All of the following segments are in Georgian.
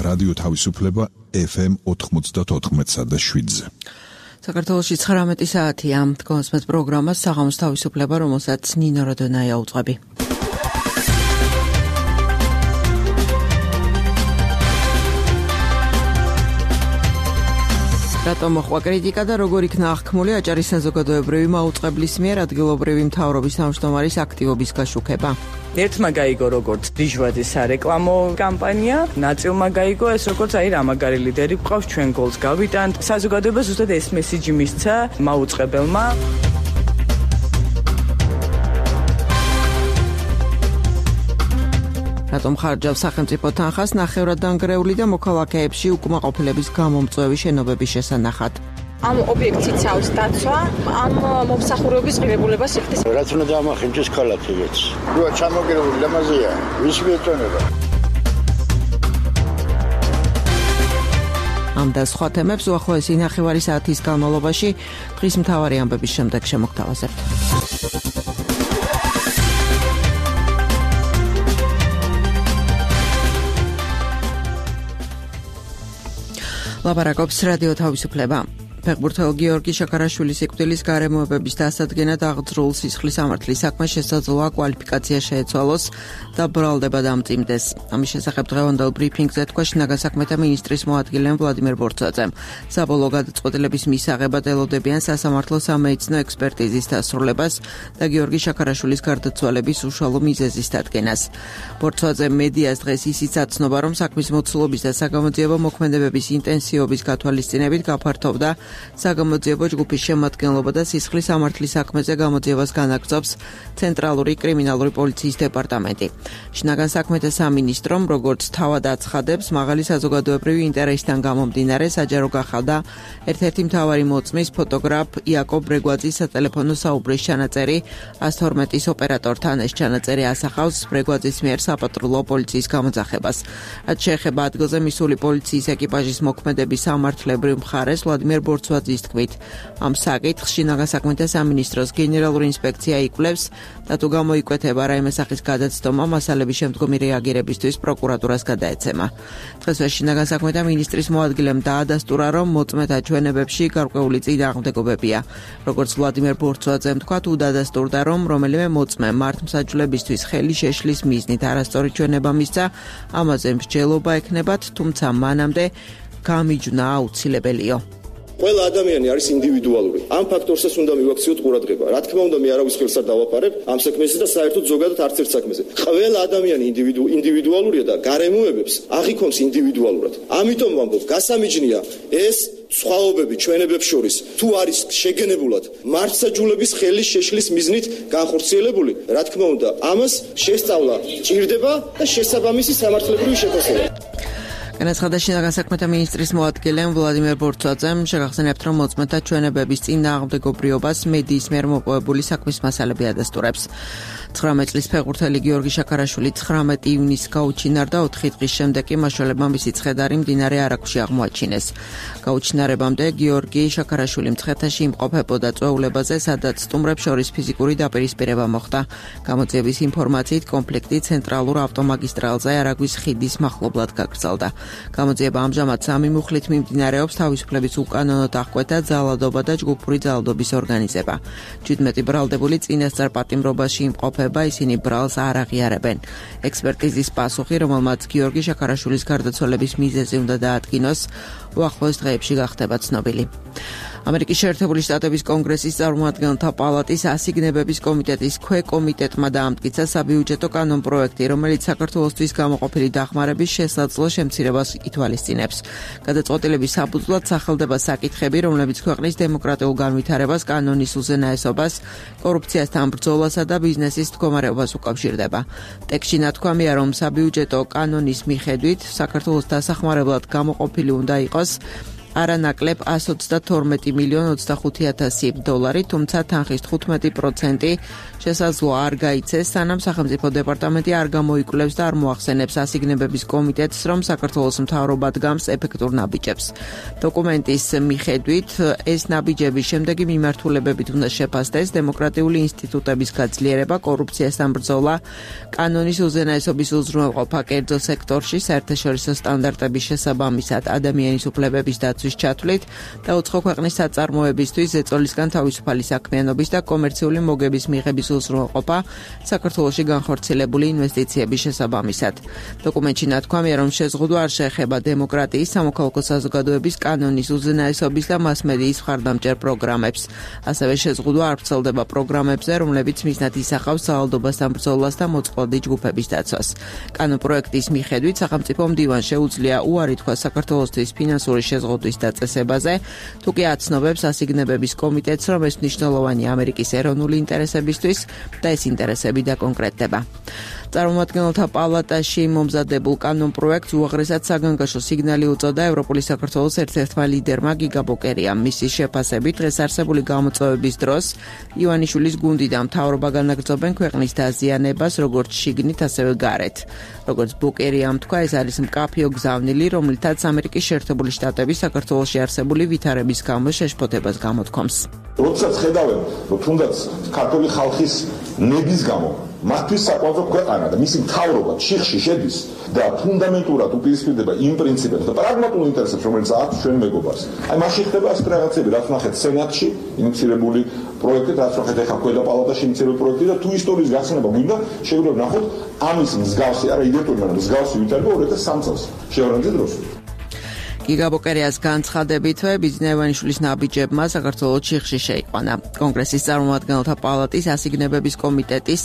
რადიო თავისუფლება FM 94.7-ზე. საქართველოში 19 საათია. კონსმეთ პროგრამას საღამოს თავისუფლება, რომელსაც ნინო როდონაია უძღვები. რატომ მოხდა კრიტიკა და როგორ იქნა აღქმული აჭარის საზოგადოებრივი მაუწყებლის მიერ ადგილობრივი მთავრობის თავმჯდომარის აქტივობის გაშუქება? ერთმა გაიგო როგორც დიჟვადის სარეკლამო კამპანია, ნაწილმა გაიგო ეს როგორც რა მაგარი ლიდერი გვყავს, ჩვენ გოლს გავიტანთ. საზოგადოება ზუსტად ეს მესიჯი მისცა მაუწყებელმა. რატომ ხარჯავს სახელმწიფო თანხას ნახევრად დანგრეული და მოქალაქეებში უკმაყოფილების გამომწვევი შენობების შესანახად? ამ ობიექტს იცავს დაცვა, ამ მომსახურების ღირებულებას იხდის. რაც უნდა დამახინჯოს ქალაქებიც. როა ჩამოგერებული ლამაზია, ვის მიეწონება? ამ და სხვა თემებს უახლოესი ნახევარი საათის განმავლობაში დღის მთავარი ამბების შემდეგ შემოგთავაზებთ. ლაპარაკობს რადიო თავისუფლება. ფეხბურთელ გიორგი შაქარაშვილის სიკვდილის გარემოებების დასადგენად აღძრულ სისხლის სამართლის საქმე შესაძლოა კვალიფიკაცია შეეცვალოს და ბრალდება დამწიმდეს. ამის შესახებ დღევანდელ ბრიფინგზე თქვა შინაგან საქმეთა მინისტრის მოადგილემ ვლადიმერ ბორცვაძემ. საბოლოო გადაწყვეტილების მისაღებად ელოდებიან სასამართლო სამედიცინო ექსპერტიზის დასრულებას და გიორგი შაქარაშვილის გარდაცვალების უშუალო მიზეზის დადგენას. ბორცვაძემ მედიას დღეს ისიც აცნობა, რომ საქმის მოცულობის და საგამოძიებო მოქმედებების ინტენსივობის გათვალისწინებით გაფართოვდა საგამოძიებო ჯგუფის შემადგენლობა და სისხლის სამართლის საქმეზე გამოძიებას განაგრძობს ცენტრალური კრიმინალური პოლიციის დეპარტამენტი. შინაგან საქმეთა სამინისტრომ, როგორც თავად აცხადებს, მაღალი საზოგადოებრივი ინტერესიდან გამომდინარე საჯარო გახადა ერთ-ერთი მთავარი მოწმის ფოტოგრაფ იაკობ ბრეგვაძის სატელეფონო საუბრის ჩანაწერი 112-ის ოპერატორთან. ეს ჩანაწერი ასახავს ბრეგვაძის მიერ საპატრულო პოლიციის გამოძახებას. რაც შეეხება ადგილზე მისული პოლიციის ეკიპაჟის მოქმედების სამართლებრივ მხარეს, ვლადიმერ ბორცვაძის თქმით, ამ საკითხს შინაგან საქმეთა სამინისტროს გენერალური ინსპექცია იკვლევს და თუ გამოიკვეთება რაიმე სახის გადაცდომა, მასალების შემდგომი რეაგირებისთვის პროკურატურას გადაეცემა. დღესვე შინაგან საქმეთა მინისტრის მოადგილემ დაადასტურა, რომ მოწმეთა ჩვენებებში გარკვეული წინააღმდეგობებია. როგორც ვლადიმერ ბორცვაძემ თქვა, თუ დაადასტურდა, რომ რომელიმე მოწმე მართლმსაჯულებისთვის ხელი შეშლის მიზნით არასწორი ჩვენება მისცა, ამაზე მსჯელობა ექნებათ, თუმცა მანამდე გამიჯვნა აუცილებელიო. ყველა ადამიანი არის ინდივიდუალური. ამ ფაქტორსაც უნდა მივაქციოთ ყურადღება. რა თქმა უნდა, მე არავის ხელს არ დავაფარებ ამ საქმეზე და საერთოდ ზოგადად არც ერთ საქმეზე. ყველა ადამიანი ინდივიდუალურია და გარემოებებს აღიქონს ინდივიდუალურად. ამიტომ ვამბობ, გასამიჯნია ეს სხვაობები ჩვენებებს შორის თუ არის შეგენებულად მართლმსაჯულების ხელის შეშლის მიზნით განხორციელებული, რა თქმა უნდა, ამას შესწავლა ჭირდება და შესაბამისი სამართლებრივი შეფასება. განაცხადა შინაგან საქმეთა მინისტრის მოადგილემ ვლადიმერ ბორცვაძემ. შეგახსენებთ, რომ მოწმეთა ჩვენებების წინააღმდეგობრიობას მედიის მიერ მოპოვებული საქმის მასალები ადასტურებს. 19 წლის ფეხბურთელი გიორგი შაქარაშვილი 19 ივნისს გაუჩინარდა, 4 დღის შემდეგ კი მაშველებმა მისი ცხედარი მდინარე არაგვში აღმოაჩინეს. გაუჩინარებამდე გიორგი შაქარაშვილი მცხეთაში იმყოფებოდა წვეულებაზე, სადაც სტუმრებს შორის ფიზიკური დაპირისპირება მოხდა. გამოძიების ინფორმაციით, კონფლიქტი ცენტრალურ ავტომაგისტრალზე არაგვის ხიდის მახლობლად გაგრძელდა. გამოძიება ამჟამად 3 მუხლით მიმდინარეობს, თავისუფლების უკანონოდ აღკვეთა ძალადობა და ჯგუფური ძალადობის ორგანიზება. 17 ბრალდებული წინასწარ პატიმრობაში იმყოფება, ისინი ბრალს არ აღიარებენ. ექსპერტიზის პასუხი, რომელმაც გიორგი შაქარაშვილის გარდაცვალების მიზეზი უნდა დაადგინოს, უახლოეს დღეებში გახდება ცნობილი. ამერიკის შეერთებული შტატების კონგრესის წარმომადგენელთა პალატის ასიგნებების კომიტეტის ქვეკომიტეტმა დაამტკიცა საბიუჯეტო კანონპროექტი, რომელიც საქართველოსთვის გამოყოფილი დახმარების შესაძლო შემცირებას ითვალისწინებს. გადაწყვეტილების საფუძვლად სახელდება საკითხები, რომლებიც ქვეყნის დემოკრატიულ განვითარებას, კანონის უზენაესობას, კორუფციასთან ბრძოლასა და ბიზნესის მდგომარეობას უკავშირდება. ტექსტში ნათქვამია, რომ საბიუჯეტო კანონის მიხედვით საქართველოს დასახმარებლად გამოყოფილი უნდა იყოს არანაკლებ 132 მილიონ 25,000 დოლარი, თუმცა თანხის 15% შესაძლოა არ გაიცეს, სანამ სახელმწიფო დეპარტამენტი არ გამოიკვლევს და არ მოახსენებს ასიგნებების კომიტეტს, რომ საქართველოს მთავრობა დგამს ეფექტურ ნაბიჯებს. დოკუმენტის მიხედვით, ეს ნაბიჯები შემდეგი მიმართულებებით უნდა შეფასდეს: დემოკრატიული ინსტიტუტების გაძლიერება, კორუფციასთან ბრძოლა, კანონის უზენაესობის უზრუნველყოფა კერძო სექტორში, საერთაშორისო სტანდარტების შესაბამისად ადამიანის უფლებების დაცვის ჩათვლით და უცხო ქვეყნის საწარმოებისთვის ზეწოლისგან თავისუფალი საქმიანობის და კომერციული მოგების მიღების უზრუნველყოფა საქართველოში განხორციელებული ინვესტიციების შესაბამისად. დოკუმენტში ნათქვამია, რომ შეზღუდვა არ შეეხება დემოკრატიის, სამოქალაქო საზოგადოების, კანონის უზენაესობის და მასმედიის მხარდამჭერ პროგრამებს. ასევე შეზღუდვა არ ვრცელდება პროგრამებზე, რომლებიც მიზნად ისახავს სავალდობასთან ბრძოლას და მოწყვლადი ჯგუფების დაცვას. კანონპროექტის მიხედვით სახელმწიფო მდივანს შეუძლია უარი თქვას საქართველოსთვის ფინანსური შეზღუდვის დაწესებაზე, თუ კი აცნობებს ასიგნებების კომიტეტს, რომ ეს მნიშვნელოვანი ამერიკის ეროვნული ინტერესებისთვის და ეს ინტერესები დაკონკრეტდება. წარმომადგენელთა პალატაში მომზადებულ კანონპროექტს უაღრესად საგანგაშო სიგნალი უწოდა ევროპული საქართველოს ერთ-ერთმა ლიდერმა გიგა ბოკერიამ. მისი შეფასებით, დღეს არსებული გამოწვევების დროს ივანიშვილის გუნდი და მთავრობა განაგრძობენ ქვეყნის დაზიანებას, როგორც შიგნით, ასევე გარეთ. როგორც ბოკერიამ თქვა, ეს არის მკაფიო გზავნილი, რომლითაც ამერიკის შეერთებული შტატები საქართველოში არსებული ვითარების გამო შეშფოთებას გამოთქვამს. როდესაც ხედავენ, რომ თუნდაც ქართული ხალხის ნების გამო მათთვის საყვარელ ქვეყანა და მისი მთავრობა ჩიხში შედის და ფუნდამენტურად უპირისპირდება იმ პრინციპებს და პრაგმატულ ინტერესებს, რომელიც აქვს ჩვენ მეგობარს. აი მაშინ ხდება ასეთი რაღაცები, რაც ნახეთ სენატში ინიციირებული პროექტი, რაც ნახეთ ახლა ქვედა პალატაში ინიციირებული პროექტი და თუ ისტორიის გახსნება გვინდა, შეგვიძლია ვნახოთ ამის მსგავსი, არა იდენტური, მაგრამ მსგავსი ვითარება 2003 წელს შევრანძის დროს. გიგა ბოკერიას განცხადებითვე ბიძინა ივანიშვილის ნაბიჯებმა საქართველოს ჩიხში შეიყვანა. კონგრესის წარმომადგენელთა პალატის ასიგნებების კომიტეტის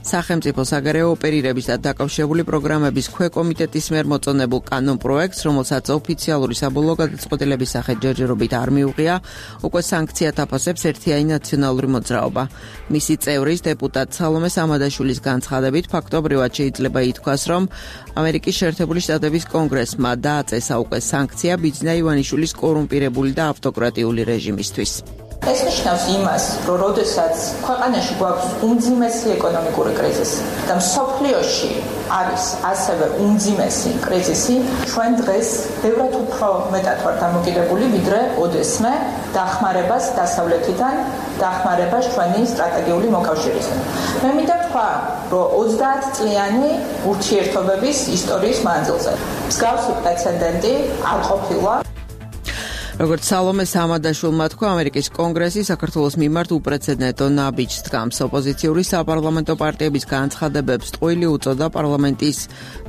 სახელმწიფო საგარეო ოპერირების და დაკავშირებული პროგრამების ქვეკომიტეტის მიერ მოწონებულ კანონპროექტს, რომელსაც ოფიციალური საბოლოო გადაწყვეტილების სახით ჯერჯერობით არ მიუღია, უკვე სანქციად აფასებს ერთიანი ნაციონალური მოძრაობა. მისი წევრის დეპუტატ სალომე სამადაშვილის განცხადებით, ფაქტობრივად შეიძლება ითქვას, რომ ამერიკის შეერთებული შტატების კონგრესმა დააწესა უკვე სანქცია ბიძინა ივანიშვილის კორუმპირებული და ავტოკრატიული რეჟიმისთვის. ეს ნიშნავს იმას, რომ როდესაც ქვეყანაში გვაქვს უმძიმესი ეკონომიკური კრიზისი და მსოფლიოში არის ასევე უმძიმესი კრიზისი, ჩვენ დღეს ბევრად უფრო მეტად ვართ დამოკიდებული, ვიდრე ოდესმე დახმარებას დასავლეთიდან, დახმარებას ჩვენი სტრატეგიული მოკავშირისგან. მე მინდა თქვა, რომ 30 წლიანი ურთიერთობების ისტორიის მანძილზე მსგავსი პრეცედენტი არ ყოფილა. როგორც სალომე სამადაშვილმა თქვა, ამერიკის კონგრესი საქართველოს მიმართ უპრეცედენტო ნაბიჯს დგამს. ოპოზიციური საპარლამენტო პარტიების განცხადებებს ტყუილი უწოდა პარლამენტის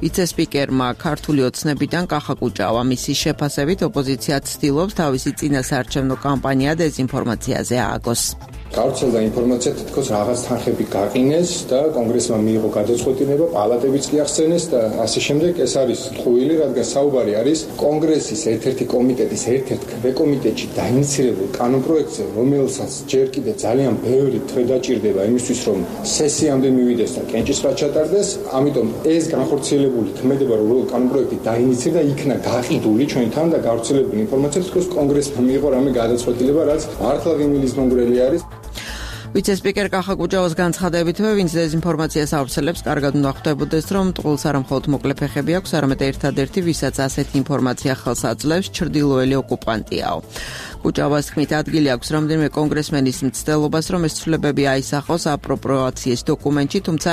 ვიცესპიკერმა ქართული ოცნებიდან კახა კუჭავა. მისი შეფასებით, ოპოზიცია ცდილობს თავისი წინასაარჩევნო კამპანია დეზინფორმაციაზე ააგოს. გავრცელდა ინფორმაცია, თითქოს რაღაც თანხები გაყინეს და კონგრესმა მიიღო გადაწყვეტილება, პალატებიც კი ახსენეს და ასე შემდეგ. ეს არის ტყუილი, რადგან საუბარი არის კონგრესის ერთ-ერთი კომიტეტის ერთ-ერთ ქვეკომიტეტში დაინიცირებულ კანონპროექტზე, რომელსაც ჯერ კიდე ძალიან ბევრი თვე დაჭირდება იმისთვის, რომ სესიამდე მივიდეს და კენჭისყრად ჩატარდეს. ამიტომ ეს განხორციელებული ქმედება, რომ კანონპროექტი დაინიცირდა, იქნა გაყიდული ჩვენთან და გავრცელებული ინფორმაცია, თითქოს კონგრესმა მიიღო რამე გადაწყვეტილება, რაც მართლა ღიმილის მონგრელი არის. ვიცესპიკერ კახა კუჭავას განცხადებითვე, ვინც დეზინფორმაციას ავრცელებს, კარგად უნდა ხვდებოდეს, რომ ტყუილს არა მხოლოდ მოკლე ფეხები აქვს, არამედ ერთადერთი, ვისაც ასეთი ინფორმაცია ხელს აძლევს, ჩრდილოელი ოკუპანტიაო. კუჭავას თქმით, ადგილი აქვს რამდენიმე კონგრესმენის მცდელობას, რომ ეს ცვლილებები აისახოს აპროპრიაციის დოკუმენტში, თუმცა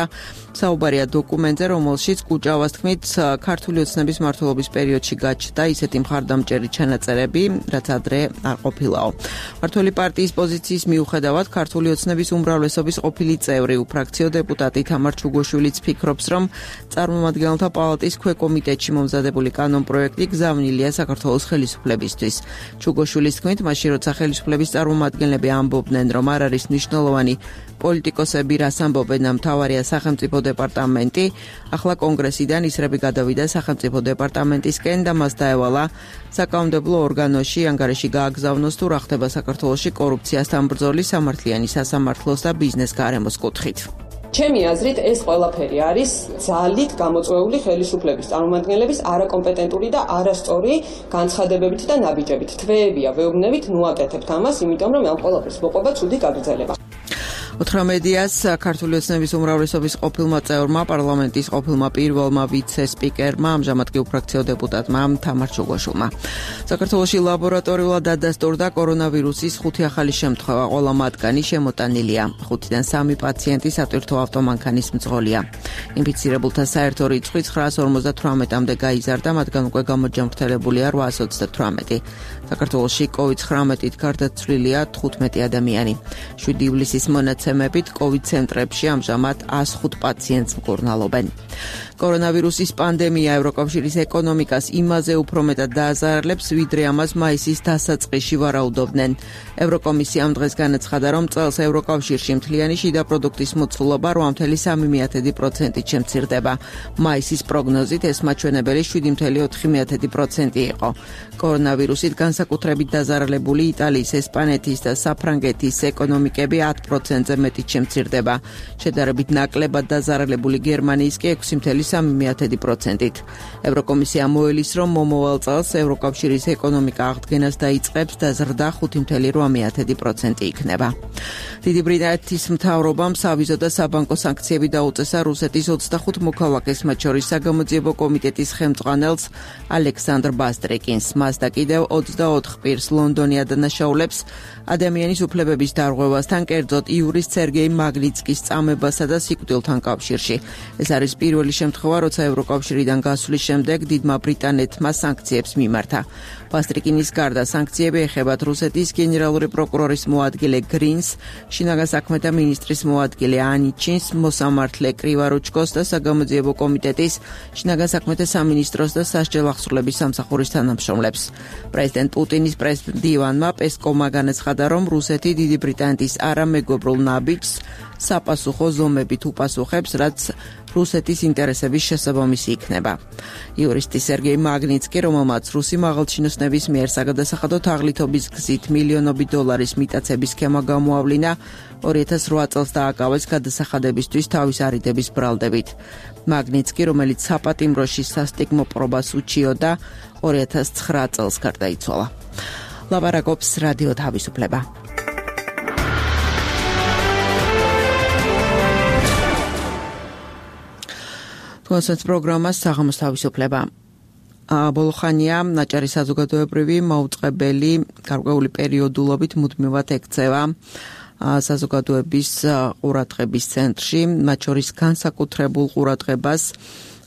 საუბარია დოკუმენტზე, რომელშიც კუჭავას თქმით, ქართული ოცნების მმართველობის პერიოდში გაჩნდა ისეთი მხარდამჭერი ჩანაწერები, რაც ადრე არ ყოფილაო. მმართველი პარტიის პოზიციის მიუხედავად, ქართული ოცნების უმრავლესობის ყოფილი წევრი, უფრაქციო დეპუტატი თამარ ჩუგოშვილიც ფიქრობს, რომ წარმომადგენელთა პალატის ქვეკომიტეტში მომზადებული კანონპროექტი გზავნილია საქართველოს ხელისუფლებისთვის. ჩუგოშვილის თქმით, მაშინ როცა ხელისუფლების წარმომადგენლები ამბობდნენ, რომ არ არის მნიშვნელოვანი პოლიტიკოსები რას ამბობენ, მთავარია სახელმწიფო დეპარტამენტი, ახლა კონგრესიდან ისრები გადავიდა სახელმწიფო დეპარტამენტისკენ და მას დაევალა საკანონმდებლო ორგანოში ანგარიში გააგზავნოს თუ რა ხდება საქართველოში კორუფციასთან ბრძოლის, სამართლიანი სასამართლოს და ბიზნეს გარემოს კუთხით. ჩემი აზრით ეს ყველაფერი არის ძალით გამოწვეული ხელისუფლების წარმომადგენლების არაკომპეტენტური და არასწორი განცხადებებით და ნაბიჯებით. თვეებია, ვეუბნებით, ნუ აკეთებთ ამას, იმიტომ რომ ამ ყველაფერს მოყვება ცუდი გაგრძელება. 18-ს ქართული ოცნების უმრავლესობის ყოფილმა წევრმა, პარლამენტის ყოფილმა პირველმა ვიცე-სპიკერმა, ამჟამად კი უფრაქციო დეპუტატმა თამარ ჩუგოშვილმა. საქართველოში ლაბორატორიულად დადასტურდა კორონავირუსის 5 ახალი შემთხვევა, ყველა მათგანი შემოტანილია. 5-დან 3 პაციენტი სატვირთო ავტომანქანის მძღოლია. ინფიცირებულთა საერთო რიცხვი 958-მდე გაიზარდა, მათგან უკვე გამოჯამრთელებულია 828. საქართველოში COVID-19-ით გარდაცვლილია 15 ადამიანი. 7 ივლისის მონაცემებით COVID ცენტრებში ამჟამად 105 პაციენტს მკურნალობენ. კორონავირუსის პანდემია ევროკავშირის ეკონომიკას იმაზე უფრო მეტად დააზარალებს, ვიდრე ამას მაისის დასაწყისში ვარაუდობდნენ. ევროკომისიამ დღეს განაცხადა, რომ წელს ევროკავშირში მთლიანი შიდა პროდუქტის მოცულობა 8.3%-ით შემცირდება. მაისის პროგნოზით ეს მაჩვენებელი 7.4% იყო. კორონავირუსით განსაკუთრებით დაზარალებული იტალიის, ესპანეთის და საფრანგეთის ეკონომიკები 10%-ზე მეტით შემცირდება. შედარებით ნაკლებად დაზარალებული გერმანიის კი 6.3%-ით. ევროკომისია მოელის, რომ მომავალ წელს ევროკავშირის ეკონომიკა აღდგენას დაიწყებს და ზრდა 5.8% იქნება. დიდი ბრიტანეთის მთავრობამ სავიზო და საბანკო სანქციები დაუწესა რუსეთის 25 მოქალაქეს, მათ შორის საგამოძიებო კომიტეტის ხელმძღვანელს ალექსანდრ ბასტრიკინს. მას და კიდევ 24 პირს ლონდონი ადანაშაულებს ადამიანის უფლებების დარღვევასთან, კერძოდ იურის სერგეი მაგნიცკის წამებასა და სიკვდილთან კავშირში. ეს არის პირველი შემთხვევა, როცა ევროკავშირიდან გასვლის შემდეგ დიდმა ბრიტანეთმა სანქციებს მიმართა. ბასტრიკინის გარდა სანქციები ეხებათ რუსეთის გენერალური პროკურორის მოადგილე გრინს, შინაგან საქმეთა მინისტრის მოადგილე ანიჩინს, მოსამართლე კრივარუჩკოს და საგამოძიებო კომიტეტის, შინაგან საქმეთა სამინისტროს და სასჯელ აღსრულების სამსახურის თანამშრომლებს. პრეზიდენტ პუტინის პრეს-დივანმა პესკოვმა განაცხადა, რომ რუსეთი დიდი ბრიტანეთის არამეგობრულ ნაბიჯს საპასუხო ზომებით უპასუხებს, რაც რუსეთის ინტერესების შესაბამისი იქნება. იურისტი სერგეი მაგნიცკი, რომელმაც რუსი მაღალჩინოსნების მიერ საგადასახადო თაღლითობის გზით მილიონობით დოლარის მიტაცების სქემა გამოავლინა, 2008 წელს დააკავეს გადასახადებისთვის თავის არიდების ბრალდებით. მაგნიცკი, რომელიც საპატიმროში სასტიკმო პრობას უჩიოდა, 2009 წელს გარდაიცვალა. ლაპარაკობს რადიო თავისუფლება. კონსერტ პროგრამას საღამოს თავისუფლება. ბოლო ხანია ნაჭარი საზოგადოებრივი მაუწყებელი გარკვეული პერიოდულობით მუდმივად ექცევა საზოგადოების ყურადღების ცენტრში, მათ შორის განსაკუთრებულ ყურადღებას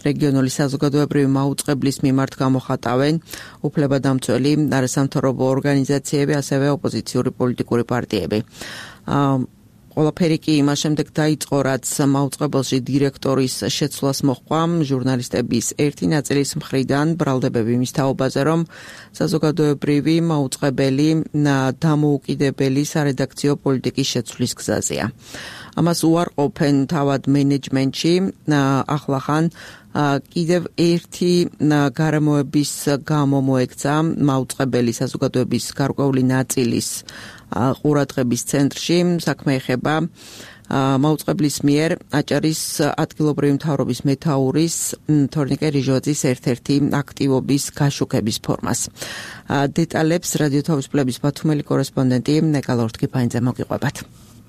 რეგიონული საზოგადოებრივი მაუწყებლის მიმართ გამოხატავენ უფლებადამცველი არასამთავრობო ორგანიზაციები, ასევე ოპოზიციური პოლიტიკური პარტიები. ყველაფერი კი იმას შემდეგ დაიწყო, რაც მაუწყებელში დირექტორის შეცვლას მოჰყვა ჟურნალისტების ერთი ნაწილის მხრიდან ბრალდებები მის თაობაზე, რომ საზოგადოებრივი მაუწყებელი დამოუკიდებელი სარედაქციო პოლიტიკის შეცვლის გზაზეა. ამას უარყოფენ თავად მენეჯმენტში, ახლახან კიდევ ერთი გარემოების გამო მოექცა მაუწყებელი საზოგადოების გარკვეული ნაწილის ყურადღების ცენტრში. საქმე ეხება მაუწყებლის მიერ აჭარის ადგილობრივი მთავრობის მეთაურის თორნიკე რიჟოძის ერთ-ერთი აქტივობის გაშუქების ფორმას. დეტალებს რადიო თავისუფლების ბათუმელი კორესპონდენტი ნეკა ლორთქიფანიძე მოგიყვებათ.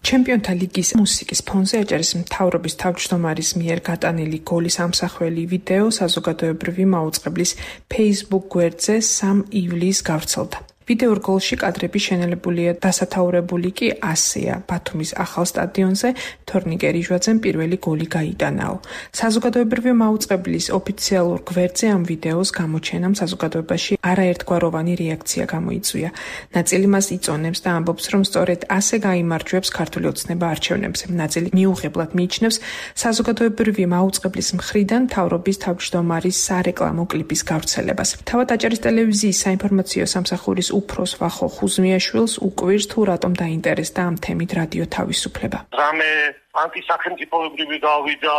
ჩემპიონთა ლიგის მუსიკის ფონზე აჭარის მთავრობის თავმჯდომარის მიერ გატანილი გოლის ამსახველი ვიდეო საზოგადოებრივი მაუწყებლის Facebook გვერდზე 3 ივლისს გავრცელდა. ვიდეორ გოლში კადრები შენელებულია, დასათაურებული კი ასეა. ბათუმის ახალ სტადიონზე თორნიკე რიჟვაძემ პირველი გოლი გაიტანაო. საზოგადოებრივი მაუწყებლის ოფიციალურ გვერდზე ამ ვიდეოს გამოჩენამ საზოგადოებაში არაერთგვაროვანი რეაქცია გამოიწვია. ნაწილი მას იწონებს და ამბობს, რომ სწორედ ასე გაიმარჯვებს ქართული ოცნება არჩევნებზე. ნაწილი მიუღებლად მიიჩნევს საზოგადოებრივი მაუწყებლის მხრიდან მთავრობის თავმჯდომარის სარეკლამო კლიპის გავრცელებას. თავად აჭარის ტელევიზიის საინფორმაციო სამსახურის უფროს ვახო ხუზმიაშვილს უკვირს თუ რატომ დაინტერესდა ამ თემით რადიო თავისუფლება. რამე ანტისახელმწიფოებრივი გავიდა,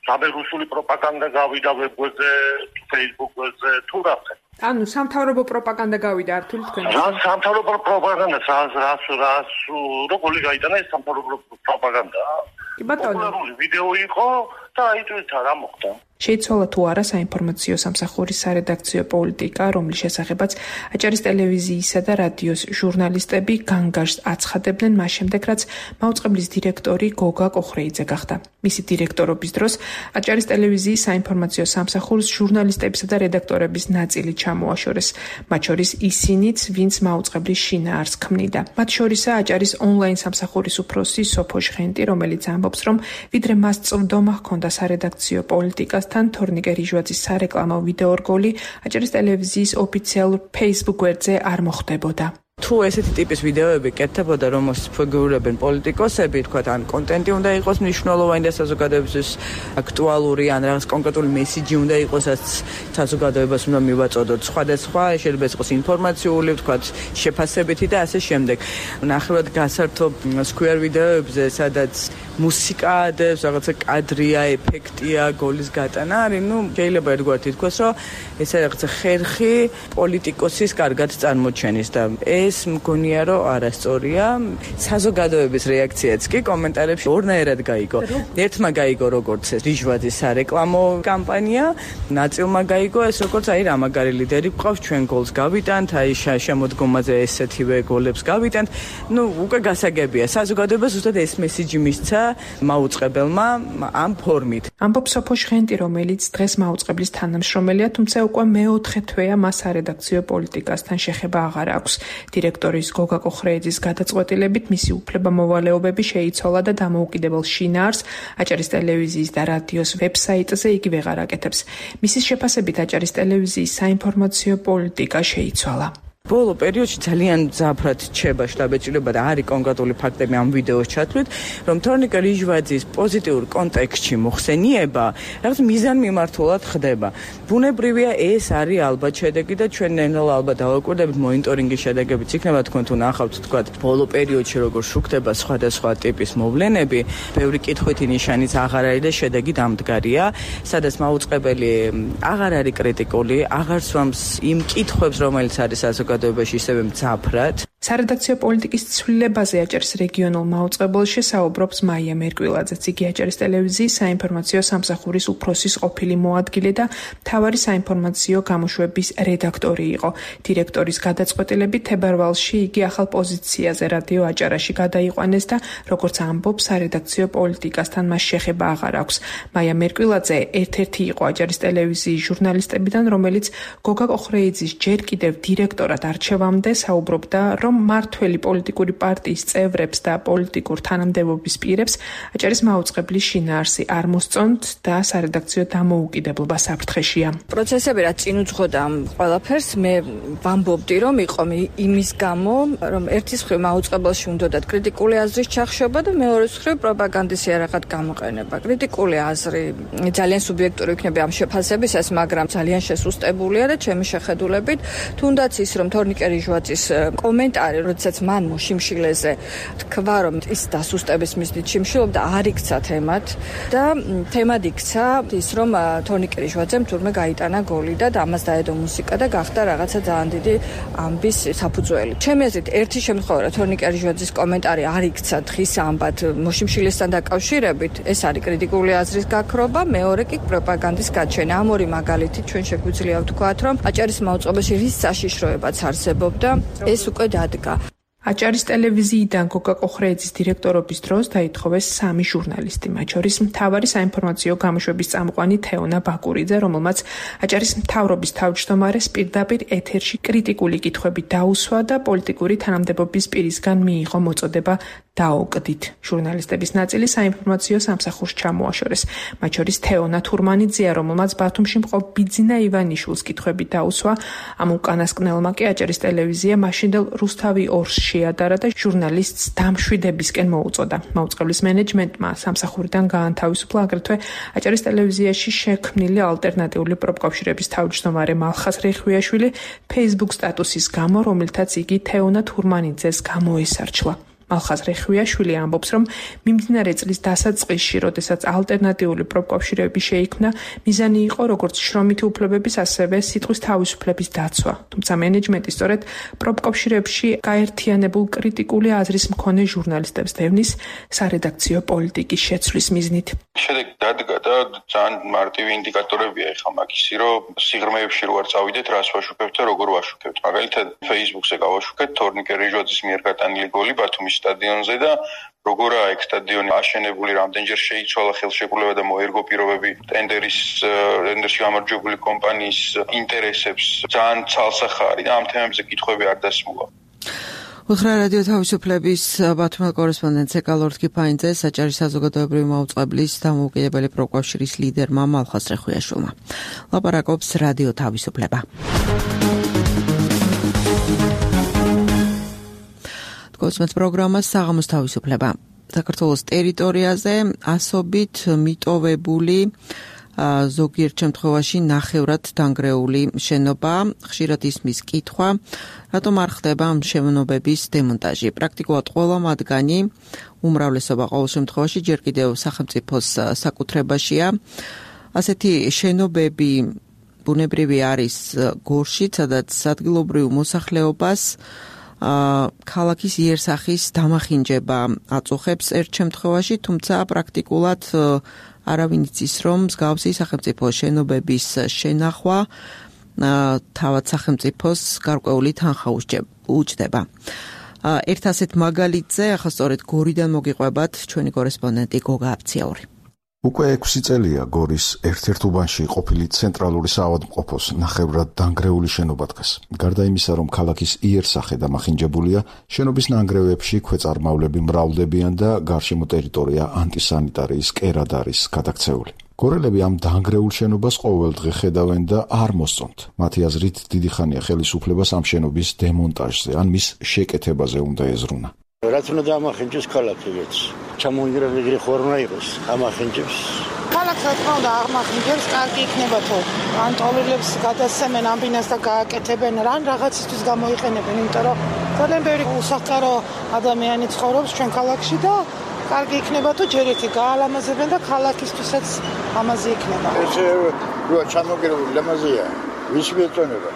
რამე რუსული პროპაგანდა გავიდა ვებგვერდზე, Facebook-ზე, თუ რამე. ანუ სამთავრობო პროპაგანდა გავიდა არ თვლით თქვენ? რა სამთავრობო პროპაგანდა, რას როგორი გაიტანა ეს სამთავრობო პროპაგანდა? კი ბატონო. პოპულარული ვიდეო იყო და აი თვითონ რა მოხდა. შეიცვალა თუ არა საინფორმაციო სამსახურის სარედაქციო პოლიტიკა, რომლის შესახებაც აჭარის ტელევიზიისა და რადიოს ჟურნალისტები განგარს აცხადებდნენ მას შემდეგ, რაც მაუწყებლის დირექტორი გოგა კოხრეიძე გახდა. მისი დირექტორობის დროს აჭარის ტელევიზიის საინფორმაციო სამსახურს ჟურნალისტებისა და რედაქტორების ნაწილი ჩამოაშორეს, მათ შორის ისინიც, ვინც მაუწყებლის შინაარსს ქმნიდა. მათ შორისაა აჭარის ონლაინ სამსახურის უფროსი სოფო ჟღენტი, რომელიც ამბობს, რომ ვიდრე მას წვდომა ჰქონდა სარედაქციო პოლიტიკას თორნიკე რიჟვაძის სარეკლამო ვიდეო რგოლი აჭარის ტელევიზიის ოფიციალურ Facebook გვერდზე არ მოხდებოდა. თუ ესეთი ტიპის ვიდეოები კეთდებოდა, რომელშიც ფიგურირებენ პოლიტიკოსები, თქვათ, ან კონტენტი უნდა იყოს მნიშვნელოვანი და საზოგადოებისთვის აქტუალური, ან რაღაც კონკრეტული მესიჯი უნდა იყოს, რაც საზოგადოებას უნდა მივაწოდოთ. სხვადასხვა, შეიძლება იყოს ინფორმაციული, თქვათ, შეფასებითი და ასე შემდეგ. ნახევრად გასართობ სკვერ ვიდეოებზე, სადაც მუსიკა ადევს, რაღაცა კადრია, ეფექტია, გოლის გატანა არის, შეიძლება ერთგვარად ითქვას, რომ ეს რაღაცა ხერხი პოლიტიკოსის კარგად წარმოჩენის და ეს მგონია რომ არასწორია. საზოგადოების რეაქციაც კი კომენტარებში ორნაირად გაიგო. ერთმა გაიგო როგორც ეს რიჟვაძის სარეკლამო კამპანია, ნაწილმა გაიგო ეს როგორც აი რა მაგარი ლიდერი გვყავს, ჩვენ გოლს გავიტანთ, აი შემოდგომაზე ესეთივე გოლებს გავიტანთ. უკვე გასაგებია. საზოგადოებას ზუსტად ეს მესიჯი მისცა მაუწყებელმა ამ ფორმით. ამბობს სოფო ჟღენტი, რომელიც დღეს მაუწყებლის თანამშრომელია, თუმცა უკვე მეოთხე თვეა მას სარედაქციო პოლიტიკასთან შეხება აღარ აქვს. დირექტორის გოგა კოხრეიძის გადაწყვეტილებით მისი უფლებამოვალეობები შეიცვალა და დამოუკიდებელ შინაარსს აჭარის ტელევიზიის და რადიოს ვებსაიტზე იგი ვეღარ აკეთებს. მისის შეფასებით აჭარის ტელევიზიის საინფორმაციო პოლიტიკა შეიცვალა. ბოლო პერიოდში ძალიან ძაფრად რჩება შტაბეჭდილება და არის კონკრეტული ფაქტები ამ ვიდეოს ჩათვლით, რომ თორნიკე რიჟვაძის პოზიტიურ კონტექსტში მოხსენიება რაღაც მიზანმიმართულად ხდება. ბუნებრივია ეს არის ალბათ შედეგი და ჩვენ ნელ-ნელა ალბათ დავაკვირდებით მონიტორინგის შედეგებიც იქნება, თქვენ თუ ნახავთ, თქვათ, ბოლო პერიოდში როგორ შუქდება სხვადასხვა ტიპის მოვლენები, ბევრი კითხვითი ნიშანიც აღარ არის და შედეგი დამდგარია, სადაც მაუწყებელი აღარ არის კრიტიკული, აღარ სვამს იმ კითხვებს, რომელიც არის საზოგადოებაში ისევე მძაფრად. სარედაქციო პოლიტიკის ცვლილებაზე აჭარის რეგიონულ მაუწყებელში საუბრობს მაია მერკვილაძეც. იგი აჭარის ტელევიზიის საინფორმაციო სამსახურის უფროსის ყოფილი მოადგილე და მთავარი საინფორმაციო გამოშვების რედაქტორი იყო. დირექტორის გადაწყვეტილებით თებერვალში იგი ახალ პოზიციაზე რადიო აჭარაში გადაიყვანეს და როგორც ამბობს, სარედაქციო პოლიტიკასთან მას შეხება აღარ აქვს. მაია მერკვილაძე ერთ-ერთი იყო აჭარის ტელევიზიის ჟურნალისტებიდან, რომელიც გოგა კოხრეიძის ჯერ კიდევ დირექტორად არჩევამდე საუბრობდა, რომ მართველი პოლიტიკური პარტიის წევრებს და პოლიტიკურ თანამდებობის პირებს აჭარის მაუწყებლის შინაარსი არ მოსწონთ და სარედაქციო დამოუკიდებლობა საფრთხეშია. პროცესები რაც წინ უძღოდა ამ ყველაფერს, მე ვამბობდი, რომ იყო იმის გამო, რომ ერთის მხრივ მაუწყებელში უნდათ კრიტიკული აზრის ჩახშობა და მეორეს მხრივ პროპაგანდის იარაღად გამოყენება. კრიტიკული აზრი ძალიან სუბიექტური იქნება ამ შეფასებისას, მაგრამ ძალიან შესუსტებულია და ჩემი შეხედულებით, თუნდაც ის რომ თორნიკე რიჟვაძის კომენტარი, როდესაც მან მოშიმშილეზე თქვა, რომ ის დასუსტების მიზნით შიმშილობდა, არ იქცა თემად და თემად იქცა ის, რომ თორნიკე რიჟვაძემ თურმე გაიტანა გოლი და ამას დაედო მუსიკა და გახდა რაღაცა ძალიან დიდი ამბის საფუძველი. ჩემი აზრით, ერთი შემთხვევა, რომ თორნიკე რიჟვაძის კომენტარი არ იქცა დღის ამბად მოშიმშილესთან დაკავშირებით, ეს არის კრიტიკული აზრის გაქრობა, მეორე კი პროპაგანდის გაჩენა. ამ ორი მაგალითით ჩვენ შეგვიძლია ვთქვათ, რომ აჭარის მაუწყებელში რის საშიშროებაც არსებობდა, ეს უკვე დადგა. აჭარის ტელევიზიიდან გოგა კოხრეიძის დირექტორობის დროს დაითხოვეს 3 ჟურნალისტი, მათ შორის მთავარი საინფორმაციო გამოშვების წამყვანი თეონა ბაკურიძე, რომელმაც აჭარის მთავრობის თავმჯდომარეს პირდაპირ ეთერში კრიტიკული კითხვები დაუსვა და პოლიტიკური თანამდებობის პირისგან მიიღო მოწოდება დაოკდით. ჟურნალისტების ნაწილი საინფორმაციო სამსახურს ჩამოაშორეს, მათ შორის თეონა თურმანიძეა, რომელმაც ბათუმში მყოფ ბიძინა ივანიშვილს კითხვები დაუსვა. ამ უკანასკნელმა კი აჭარის ტელევიზია მაშინდელ რუსთავი 2-ში შეადარა და ჟურნალისტს დამშვიდებისკენ მოუწოდა. მაუწყებლის მენეჯმენტმა სამსახურიდან გაანთავისუფლა აგრეთვე აჭარის ტელევიზიაში შექმნილი ალტერნატიული პროფკავშირების თავმჯდომარე მალხას რეხვიაშვილი Facebook სტატუსის გამო, რომელთაც იგი თეონა თურმანიძეს გამოესარჩლა. მალხაზ რეხვიაშვილი ამბობს, რომ მიმდინარე წლის დასაწყისში, როდესაც ალტერნატიული პროფკავშირები შეიქმნა, მიზანი იყო როგორც შრომითი უფლებების, ასევე სიტყვის თავისუფლების დაცვა. თუმცა მენეჯმენტი სწორედ პროფკავშირებში გაერთიანებულ კრიტიკული აზრის მქონე ჟურნალისტებს დევნის სარედაქციო პოლიტიკის შეცვლის მიზნით. შედეგი დადგა და ძალიან მარტივი ინდიკატორებია ეხლა მაგისი, რომ სიღრმეებში რო არ წავიდეთ, რას ვაშუქებთ და როგორ ვაშუქებთ. მაგალითად, Facebook-ზე გავაშუქეთ თორნიკე რეჟოძის მიერ გატანილი გოლი ბათუმის სტადიონზე და როგორაა ეგ სტადიონი აშენებული, რამდენჯერ შეიცვალა ხელშეკრულება და მოერგო პირობები ტენდერში გამარჯვებული კომპანიის ინტერესებს, ძალიან ცალსახარი და ამ თემებზე კითხვები არ დასმულა. უთხრა რადიო თავისუფლების ბათუმელ კორესპონდენტს ეკალორდ კიფაინძე საჭირო საზოგადოებრივი მაუწყებლის დამოუკიდებელი პროფკავშირის ლიდერმა მალხაზ რეხვიაშვილმა. ლაპარაკობს რადიო თავისუფლება. კოსმოს პროგრამას საღამოს თავისუფლება. საქართველოს ტერიტორიაზე ასობით მიტოვებული ზოგიერთ შემთხვევაში ნახევრად დანგრეული შენობა, ხშირად ისმის კითხვა, რატომ არ ხდება ამ შენობების დემონტაჟი. პრაქტიკულად ყველა მათგანი, უმრავლესობა ყოველ შემთხვევაში ჯერ კიდევ სახელმწიფოს საკუთრებაშია. ასეთი შენობები ბუნებრივი არის გორშიც, სადაც ადგილობრივ მოსახლეობას ქალაქის იერსახის დამახინჯება აწუხებს ერთ შემთხვევაში, თუმცა პრაქტიკულად არავინ იცის, რომ მსგავსი სახელმწიფო შენობების შენახვა თავად სახელმწიფოს გარკვეული თანხა უჯდება. ერთ ასეთ მაგალითზე ახლა სწორედ გორიდან მოგიყვებათ ჩვენი კორესპონდენტი გოგა აფციაური. უკვე 6 წელია გორის ერთ-ერთ უბანში ყოფილი ცენტრალური საავადმყოფოს ნახევრად დანგრეული შენობა დგას. გარდა იმისა, რომ ქალაქის იერსახე დამახინჯებულია, შენობის ნანგრევებში ქვეწარმავლები მრავლდებიან და გარშემო ტერიტორია ანტისანიტარიის კერად არის გადაქცეული. გორელები ამ დანგრეულ შენობას ყოველდღე ხედავენ და არ მოსწონთ. მათი აზრით, დიდი ხანია ხელისუფლებას ამ შენობის დემონტაჟზე ან მის შეკეთებაზე უნდა ეზრუნა. რაც უნდა ამახინჯოს ქალაქებიც. ჩამოინგრელი ხორნა იყოს ამახინჯებს. ქალაქს რა თქმა უნდა აღმახინჯებს, კარგი იქნება თუ ან ტოლერებს გადასცემენ ამ ბინას და გააკეთებენ, რან რაღაცისთვის გამოიყენებენ, იმიტომ რომ ძალიან ბევრი უსახკარო ადამიანი ცხოვრობს ჩვენ ქალაქში და კარგი იქნება თუ ჯერ ერთი გაალამაზებენ და ქალაქისთვისაც ამაზე იქნება. ესე რო ჩამოგერებული ლამაზია, ვის მეწონება?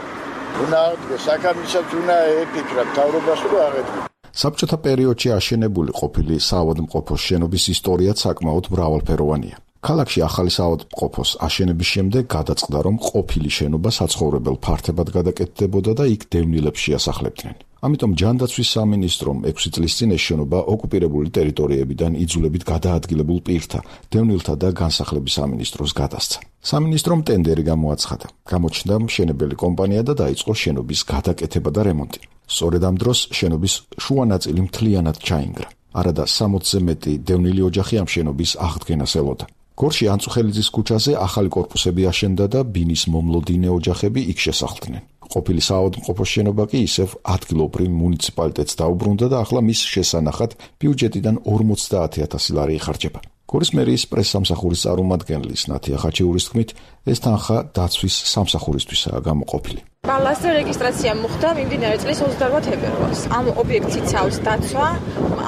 უნდა საკამისაც უნდა ეფიქრა თავრობას რომ აღედგა. საბჭოთა პერიოდში აშენებული ყოფილი საავადმყოფოს შენობის ისტორიაც საკმაოდ მრავალფეროვანია. ქალაქში ახალი საავადმყოფოს აშენების შემდეგ გადაწყდა, რომ ყოფილი შენობა საცხოვრებელ ფართებად გადაკეთდებოდა და იქ დევნილებს შეასახლებდნენ. ამიტომ ჯანდაცვის სამინისტრომ 6 წლის წინ ეს შენობა ოკუპირებული ტერიტორიებიდან იძულებით გადაადგილებულ პირთა, დევნილთა და განსახლების სამინისტროს გადასცა. სამინისტრომ ტენდერი გამოაცხადა. გამოჩნდა მშენებელი კომპანია და დაიწყო შენობის გადაკეთება და რემონტი. სწორედ ამ დროს შენობის შუა ნაწილი მთლიანად ჩაინგრა. არადა 60-ზე მეტი დევნილი ოჯახი ამ შენობის აღდგენას ელოდა. გორში ანწუხელიძის ქუჩაზე ახალი კორპუსები აშენდა და ბინის მომლოდინე ოჯახები იქ შესახლდნენ. ყოფილი საავადმყოფოს შენობა კი ისევ ადგილობრივ მუნიციპალიტეტს დაუბრუნდა და ახლა მის შესანახად ბიუჯეტიდან 50,000 ლარი იხარჯება. გორის მერიის პრესსამსახურის წარმომადგენლის ნათია ხაჩიურის თქმით, ეს თანხა დაცვის სამსახურისთვისაა გამოყოფილი. ბალასზე რეგისტრაცია მოხდა მიმდინარე წლის 28 თებერვალს. ამ ობიექტს იცავს დაცვა,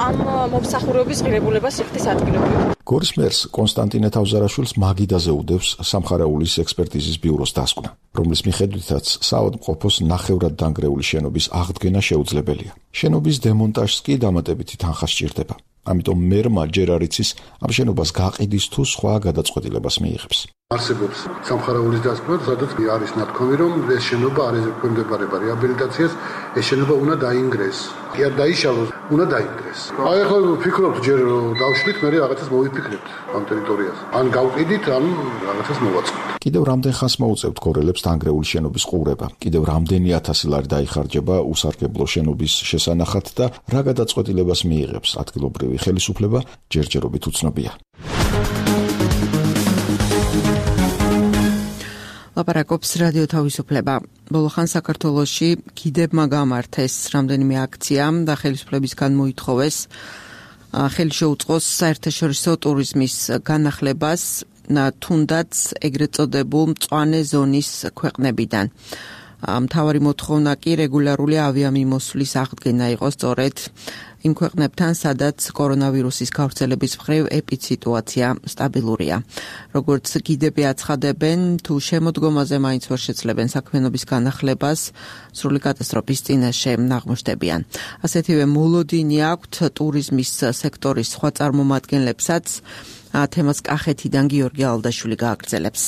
ამ მომსახურების ღირებულებას იხდის ადგილობრივ. გორის მერს კონსტანტინე თავზარაშვილს მაგიდაზე უდევს სამხარეულის ექსპერტიზის ბიუროს დასკვნა, რომლის მიხედვითაც საავადმყოფოს ნახევრად დანგრეული შენობის აღდგენა შეუძლებელია. შენობის დემონტაჟს კი დამატებითი თანხა სჭირდება. ამიტომ მერმა ჯერ არ იცის ამ შენობას გაყიდის თუ სხვა გადაწყვეტილებას მიიღებს. არსებობს სამხარეულის დასკვნა, სადაც არის ნათქვამი, რომ ეს შენობა არ ექვემდებარება რეაბილიტაციას, ეს შენობა უნდა დაინგრეს. კი არ დაიშალოს, უნდა დაინგრეს. აი ახლა ვფიქრობთ, ჯერ დავშლით, მე რაღაცას მოვიფიქრებთ ამ ტერიტორიაზე. ან გავყიდით, ან რაღაცას მოვაწყობთ. კიდევ რამდენ ხანს მოუწევთ გორელებს დანგრეული შენობის ყურება? კიდევ რამდენი 1000 ლარი დაიხარჯება უსარგებლო შენობის შესანახად და რა გადაწყვეტილებას მიიღებს ადგილობრივი ხელისუფლება, ჯერჯერობით უცნობია. ლაპარაკობს რადიო თავისუფლება. ბოლო ხან საქართველოში კიდევ გამართეს რამდენიმე აქცია და ხელისუფლებისგან მოითხოვეს ხელი შეუწყოს საერთაშორისო ტურიზმის განახლებას, თუნდაც ეგრეთ წოდებულ მწვანე ზონის ქვეყნებიდან. მთავარი მოთხოვნა კი რეგულარული ავიამიმოსვლის აღდგენა იყო სწორედ იმ ქვეყნებთან, სადაც კორონავირუსის გავრცელების მხრივ ეპიდსიტუაცია სტაბილურია. როგორც გიდები აცხადებენ, თუ შემოდგომაზე მაინც ვერ შეცლებენ საქმიანობის განახლებას, სრული კატასტროფის წინაშე აღმოჩნდებიან. ასეთივე მოლოდინი აქვთ ტურიზმის სექტორის სხვა წარმომადგენლებსაც. თემას კახეთიდან გიორგი ალდაშვილი გააგრძელებს.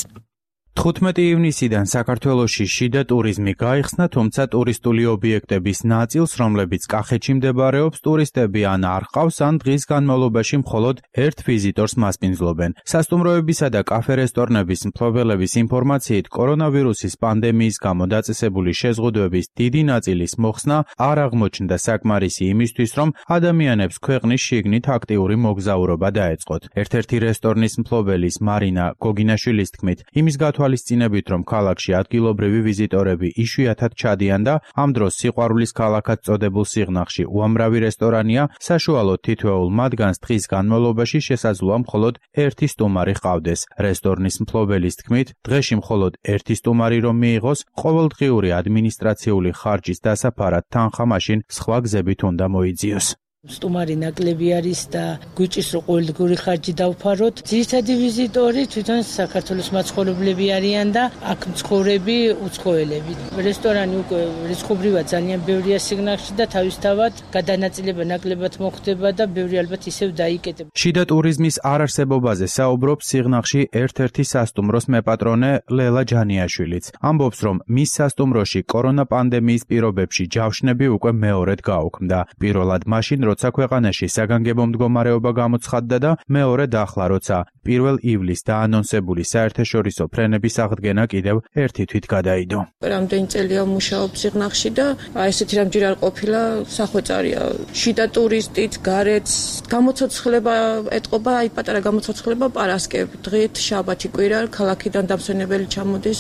15 ივნისიდან საქართველოში შიდა ტურიზმი გაიხსნა, თუმცა ტურისტული ობიექტების ნაწილს, რომლებიც კახეთში მდებარეობს, ტურისტები ან არ ყავს, ან დღის განმავლობაში მხოლოდ ერთ ვიზიტორს მასპინძლობენ. სასტუმროებისა და კაფე-რესტორნების მფლობელების ინფორმაციით, კორონავირუსის პანდემიის გამო დაწესებული შეზღუდვების დიდი ნაწილის მოხსნა არ აღმოჩნდა საკმარისი იმისთვის, რომ ადამიანებს ქვეყნის შიგნით აქტიური მოგზაურობა დაეწყოთ. ერთ-ერთი რესტორნის მფლობელის მარინა გოგინაშვილის თქმით, იმის თვალისწინებით, რომ ქალაქში ადგილობრივი ვიზიტორები იშვიათად ჩადიან და ამ დროს სიყვარულის ქალაქად წოდებულ სიღნაღში უამრავი რესტორანია, საშუალოდ თითოეულ მათგანს დღის განმავლობაში შესაძლოა მხოლოდ ერთი სტუმარი ჰყავდეს. რესტორნის მფლობელის თქმით, დღეში მხოლოდ ერთი სტუმარი რომ მიიღოს, ყოველდღიური ადმინისტრაციული ხარჯის დასაფარად თანხა მაშინ სხვა გზებით უნდა მოიძიოს. სტუმარი ნაკლები არის და გვიჭირს რომ ყოველდღიური ხარჯი დავფაროთ. ძირითადი ვიზიტორი თვითონ საქართველოს მაცხოვრებლები არიან და აქ მცხოვრები უცხოელები. რესტორანი უკვე რიცხობრივად ძალიან ბევრია სიგნალში და თავისთავად გადანაწილება ნაკლებად მოხდება და ბევრი ალბათ ისევ დაიკეტება. შიდა ტურიზმის არარსებობაზე საუბრობს სიღნაღში ერთ-ერთი სასტუმროს მეპატრონე ლელა ჯანიაშვილიც. ამბობს, რომ მის სასტუმროში კორონა პანდემიის პირობებში ჯავშნები უკვე მეორედ გაუქმდა. პირველად მაშინ როცა ქვეყანაში საგანგებო მდგომარეობა გამოცხადდა და მეორედ ახლა როცა 1 ივლისს დაანონსებული საერთაშორისო ფრენების აღდგენა კიდევ ერთი თვით გადაიდო. რამდენი წელია მუშაობ სიღნაღში და ესეთი რამჯერ არ ყოფილა სახვეწარია. შიდა ტურისტით, გარეთ გამოცოცხლება ეტყობა, პატარა გამოცოცხლება პარასკევ, დღით, შაბათი, კვირა, ქალაქიდან დამსვენებელი ჩამოდის.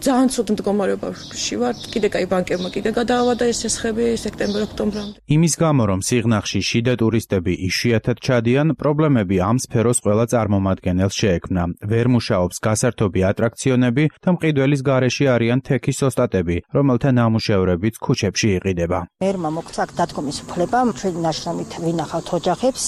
ძალიან ცუდ მდგომარეობაში ვარ. კიდე კაი ბანკებმა კიდე გადაავადა ეს ესხები სექტემბერ-ოქტომბრამდე. იმის გამო რომ სიღნაღში შიდა ტურისტები იშვიათად ჩადიან, პრობლემები ამ სფეროს ყველა წარმომადგენელს შეექმნა. ვერ მუშაობს გასართობი ატრაქციონები და მყიდველის გარეშე არიან თექის ოსტატები, რომელთა ნამუშევრებიც ქუჩებში იყიდება. მერმა მოგცა დადგომის უფლება, ჩვენი ნაშრომით ვინახავთ ოჯახებს,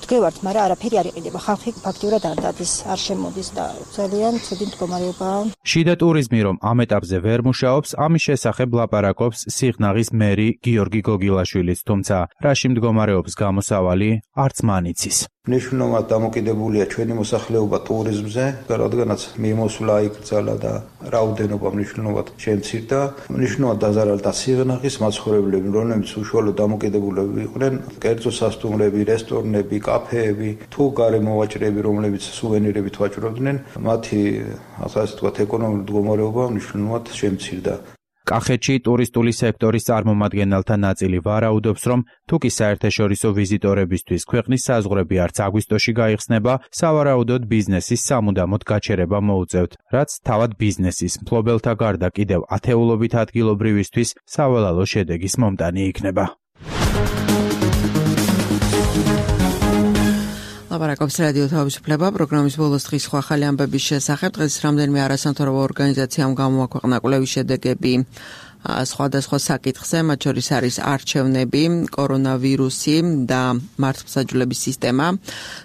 დგევართ, მაგრამ არაფერი არ იყიდება. ხალხი ფაქტიურად არ დადის, არ შემოდის და ძალიან ცუდი მდგომარეობაა. შიდა ტურიზმი რომ ამ ეტაპზე ვერ მუშაობს, ამის შესახებ ლაპარაკობს სიღნაღის მერი გიორგი გოგილაშვილიც, თუმცა რაში მდგომარეობს გამოსავალი არც მან იცის. მნიშვნელოვნად დამოკიდებულია ჩვენი მოსახლეობა ტურიზმზე, რადგანაც მიმოსვლა იკრძალა და რაოდენობა მნიშვნელოვნად შემცირდა. მნიშვნელოვნად დაზარალდა სიღნაღის მაცხოვრებლები, რომლებიც უშუალოდ დამოკიდებულები იყვნენ, კერძო სასტუმრები, რესტორნები, კაფეები, თუ გარემოვაჭრეები, რომლებიც სუვენირებით ვაჭრობდნენ, მათი ასე ვთქვათ ეკონომიკური მდგომარეობა მნიშვნელოვნად შემცირდა. კახეთში ტურისტული სექტორის წარმომადგენელთა ნაწილი ვარაუდობს, რომ თუკი საერთაშორისო ვიზიტორებისთვის ქვეყნის საზღვრები არც აგვისტოში გაიხსნება, სავარაუდოდ ბიზნესის სამუდამოდ გაჩერება მოუწევთ, რაც თავად ბიზნესის მფლობელთა გარდა კიდევ ათეულობით ადგილობრივისთვის საველალო შედეგის მომტანი იქნება. ლაპარაკობს რადიო თავისუფლება პროგრამის ბოლოს დღის სხვა ახალი ამბების შესახებ. დღეს რამდენიმე არასამთავრობო ორგანიზაციამ გამოაქვეყნა კვლევის შედეგები სხვადასხვა საკითხზე, მათ შორის არის არჩევნები, კორონავირუსი და მართლმსაჯულების სისტემა.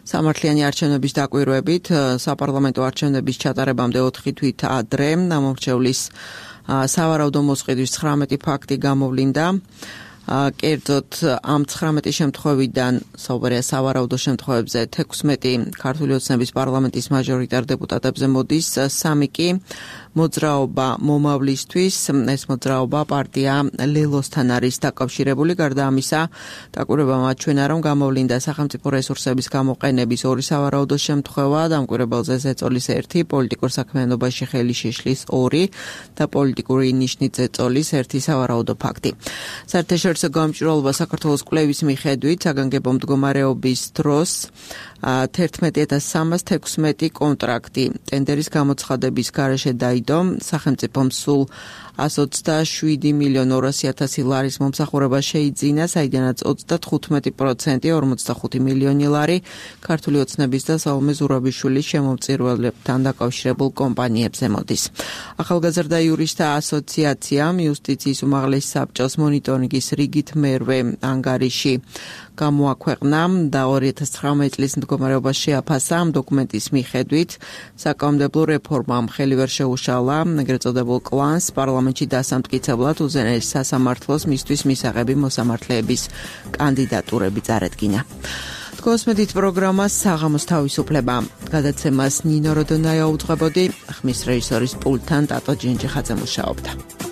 სამართლიანი არჩევნების დაკვირვებით საპარლამენტო არჩევნების ჩატარებამდე 4 თვით ადრე ამორჩევლის სავარაუდო მოსყიდვის 19 ფაქტი გამოვლინდა. კერძოდ ამ 19 შემთხვევიდან საუბარია სავარაუდო შემთხვევებზე 16 ქართული ოცნების პარლამენტის მაჟორიტარ დეპუტატებზე მოდის, 3 კი მოძრაობა მომავლისთვის, ეს მოძრაობა პარტია ლელოსთან არის დაკავშირებული. გარდა ამისა, დაკვირვებამ აჩვენა, რომ გამოვლინდა სახელმწიფო რესურსების გამოყენების 2 სავარაუდო შემთხვევა, დამკვირვებელზე ზეწოლის 1, პოლიტიკურ საქმიანობაში ხელი შეშლის 2 და პოლიტიკური ნიშნით ზეწოლის 1 სავარაუდო ფაქტი. საერთაშორისო გამჭვირვალობა საქართველოს კვლევის მიხედვით საგანგებო მდგომარეობის დროს 11316 კონტრაქტი ტენდერის გამოცხადების გარეშე დაიდო. სახელმწიფომ სულ 127.200.000 ლარის მომსახურება შეიძინა, საიდანაც 35% 45 მილიონი ლარი ქართული ოცნების და სალომე ზურაბიშვილის შემომწირველებთან დაკავშირებულ კომპანიებზე მოდის. ახალგაზრდა იურისტთა ასოციაციამ იუსტიციის უმაღლესი საბჭოს მონიტორინგის რიგით მერვე ანგარიში გამოაქვეყნა და 2019 წლის მდგომარეობას შეაფასა. ამ დოკუმენტის მიხედვით საკანონმდებლო რეფორმამ ხელი ვერ შეუშალა ეგრეთ წოდებულ კლანს პარლამენტში დასამტკიცებლად უზენაეს სასამართლოს მისთვის მისაღები მოსამართლეების კანდიდატურები წარედგინა. კოსმედით პროგრამას საღამოს თავისუფლება. გადაცემას ნინო როდონაია უძღვებოდი, ხმის რეჟისორის პულტთან ტატო ჯინჯიხაძე მუშაობდა.